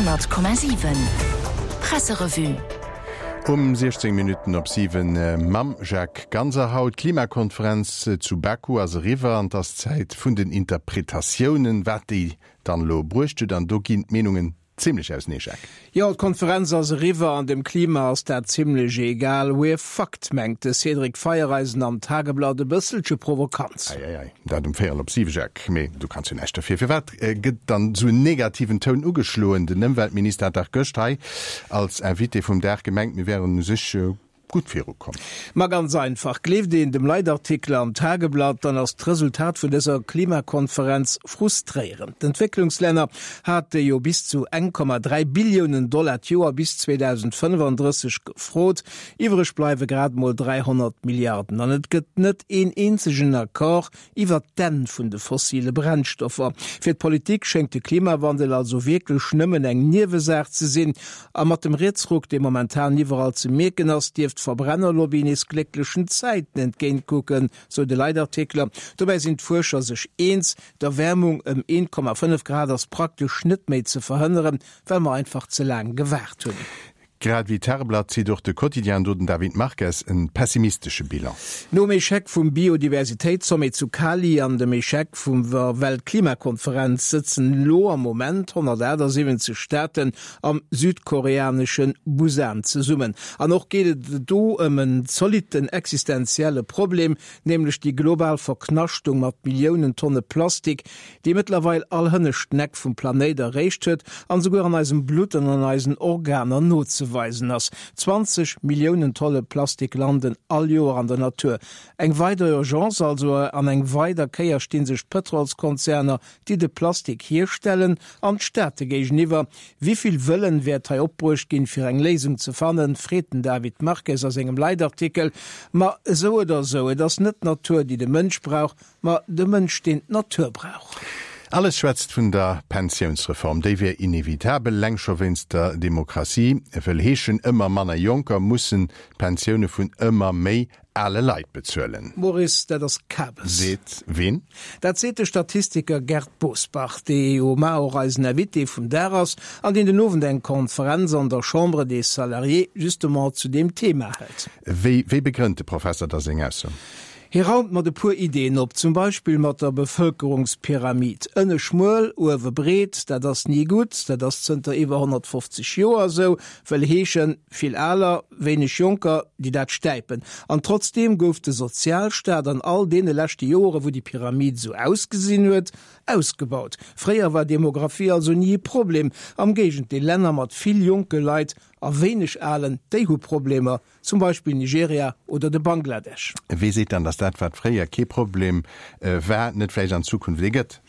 100,7 Presserevue. Um 16 Minutten op 7 mam Jacques Ganser haut. D'Klimakonferenz zu Baku ass eriwwer an et ass Zäit vun den Interpretatiounen, wat déi dann elo bruecht huet. An do ginn d'Meenungen Zimlech ausenee, Jacques. Jo, d'Konferenz ass eriwwer an dem Klima ass dat zimlech egal. We're fucked, mengt de Cédric Feiereisen am Tageblatt e bësselche provokant. Ei, ei, ei, dat um véierel op siwe, Jacques. Mee du kanns jo näischt derfir. Firwat gëtt dann esou en negativen Toun ugeschloen? Den Ëmweltminister hat dach gëscht hei als Invité vum Dag gemengt, mir wären u sech gutt virukomm. Ma ganz einfach, gleeft een dem Leitartikel am Tageblatt, dann ass d'Resultat vun dëser Klimakonferenz frustréierend. D'Entwécklungslänner hate jo bis zu 1,3 Billiounen Dollar d'Joer bis 2035 gefrot, iwwreg bleiwe grad mol 300 Milliarden. An et gëtt net een eenzegen Accord Iwwert d'Enn vun de fossile Brennstoffer. Fir d'Politik schéngt de Klimawandel also wierklech nëmmen eng Niewesaach ze sinn. A mat dem Rietsruck, dee momentan iwwerall ze mierken ass, dierft d'Verbrennerlobby nees glécklechen Zäiten entgéintkucken, sou de Leitartikler. Dobäi sinn d'Fuerscher sech eens, D'Erwäermung ëm 1,5 Grad ass praktesch net méi ze verhënneren, well mer einfach ze laang gewaart hunn. Grad wéi d'Tageblatt zitt och de Quotidien, do den David Marques, en pessimistesche Bilan. Nom Echec vum Biodiversitéitssommet zu Cali an dem Echec vum der Weltklimakonferenz sëtzen elo am Moment 178 Staaten am südkoreanesche Busan zesummen. An och geet et do ëm en zolitten existenzielle Problem, nämlech déi global Verknaschtung mat Milliounen Tonne Plastik, déi mëttlerweil all hënneschten Eck vum Planéit erreecht huet an esouguer an eisem Blutt an an eisen Organer nozeweisen ass. 20 Milliounen Tolle Plastik landen all Joer an der Natur. Eng weider Urgence also, an eng weider Kéier sti sech d'Pëtrolskonzerner, déi de Plastik hierstellen, an d'Staate géigeniwwer. Wivill Wëllen wäert hei opbruecht ginn, fir eng Léisung ze fannen, freet den David Marques a sengem Leitartikel. Ma esou oder esou, et ass net d'Natur, déi de Mënsch brauch, Ma de Mënsch, deen d'Natur brauch. Alles schwätzt vun der Pensiounsreform. Déi wier inevitabel, leng scho wéinst der Demokratie. Wëll heeschen, ëmmer manner Jonker mussen d'Pensioune vun ëmmer méi ale Leit bezuelen. Maurice, dat ass Kabes. Seet ween? Dat seet de Statistiker Gerd Bosbach, dee jo mar och eisen Invité vum Dag ass an deen den Owend eng Konferenz an der Chambre des Salariés justement zu deem Thema hält. Wéi begrënnt de Professer da seng Ausso? Hie raumt mat e puer Ideeën op, zum Beispill mat der Bevëlkerungspyramid. Ënne schmuel, uewe breet, dat ass ni gutt, dat ass zënter iwwer 150 Joer esou, wëll heeschen, vill Aler, wéineg Jonker, déi dat stäipen. An trotzdeem gouf de Sozialstaat an all deene leschte Joere wou déi Pyramid esou ausgesinn huet, ausgebaut. Fréier war Demographie also ni e Problem, am Géigendeel, Länner mat vill jonke Leit a wéineg Alen, déi hu Problemer. Zum Beispill Nigeria oder de Bangladesch. Wee seet dann, datt dat, wat fréier kee Problem war, net vläicht an Zukunft ee gëtt?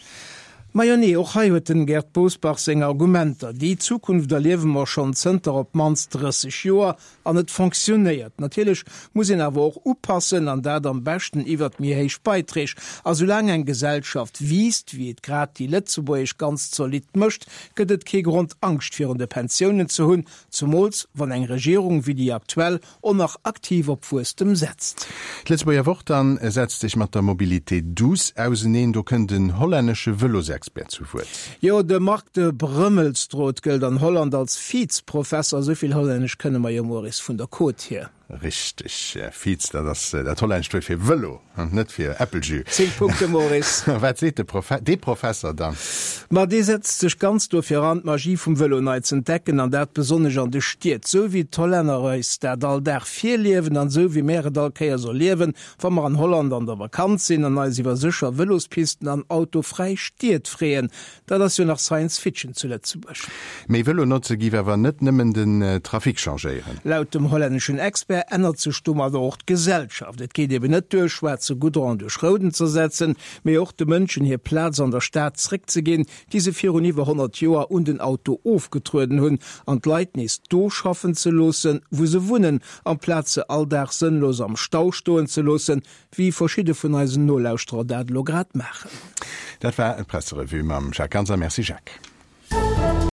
Majo nee, och hei huet den Gerd Bosbach seng Argumenter. Déi Zukunft erliewe mer schonn zënter op d'mannst 30 Joer an et fonctionnéiert. Natierlech muss een awer och upassen an dat am beschten iwwert méi héich Beiträg. A soulaang eng Gesellschaft wiisst, wéi et grad déi lëtzebuergesch ganz zolidd mécht, gëtt et kee Grond Angscht virun de Pensiounen ze hunn Zumools wann eng Regierung wéi déi aktuell och nach aktiv op Wuesstem setzt. D'Lëtzebuerger Wort dann setzt sech mat der Mobilité douce auseneen. Do kënnt en hollännesche Vëlosexpert zu Wuert. Jo, de Marc de Brömmelstroet gëllt an Holland als Fietsprofesser. Esou vill Hollännesch kënne mer jo, Maurice, vun der Côte hier. Richteg, Fiets, dat ass dat hollännescht Wuert fir Vëlo, net fir Äppeljus. 10 Punkte, Maurice. A wat seet de Profe, dee Professer dann? Ma dee setzt sech ganz dofir an, d'Magie vum Vëlo nei z'entdecken, an dat besonnesch an de Stied. Sou wéi d'Hollänner eis dat all Dag virliewen an sou wéi mär et all Kéiers erliewen, wa mer an Holland an der Vakanz sinn an eis iwwer sécher Vëlospisten an autofräi Stied freeën. Dat ass jo nach Science Fiction zu Lëtzebuerg. Méi Vëlo notze giff awer net nëmmen den Trafic changéieren. Laut dem hollänneschen Expert ännert sech domadder och d'Gesellschaft. Et geet eben net duer, schwaarze Goudron duerch rouden z'ersetzen, mee och de Mënschen hir Plaz an der Stad zréckzeginn, déi se virun iwwer 100 Joer un den Auto ofgetrueden hunn, an d'Leit nees do schaffen ze loossen, wou se wunnen, amplaz se all Dag sënnlos am Stau stoen ze loossen, Wéi verschidde vun eisen Nolauschterer dat elo grad maachen. Dat war d'Presserevue mam Jacques Ganser. Merci Jacques.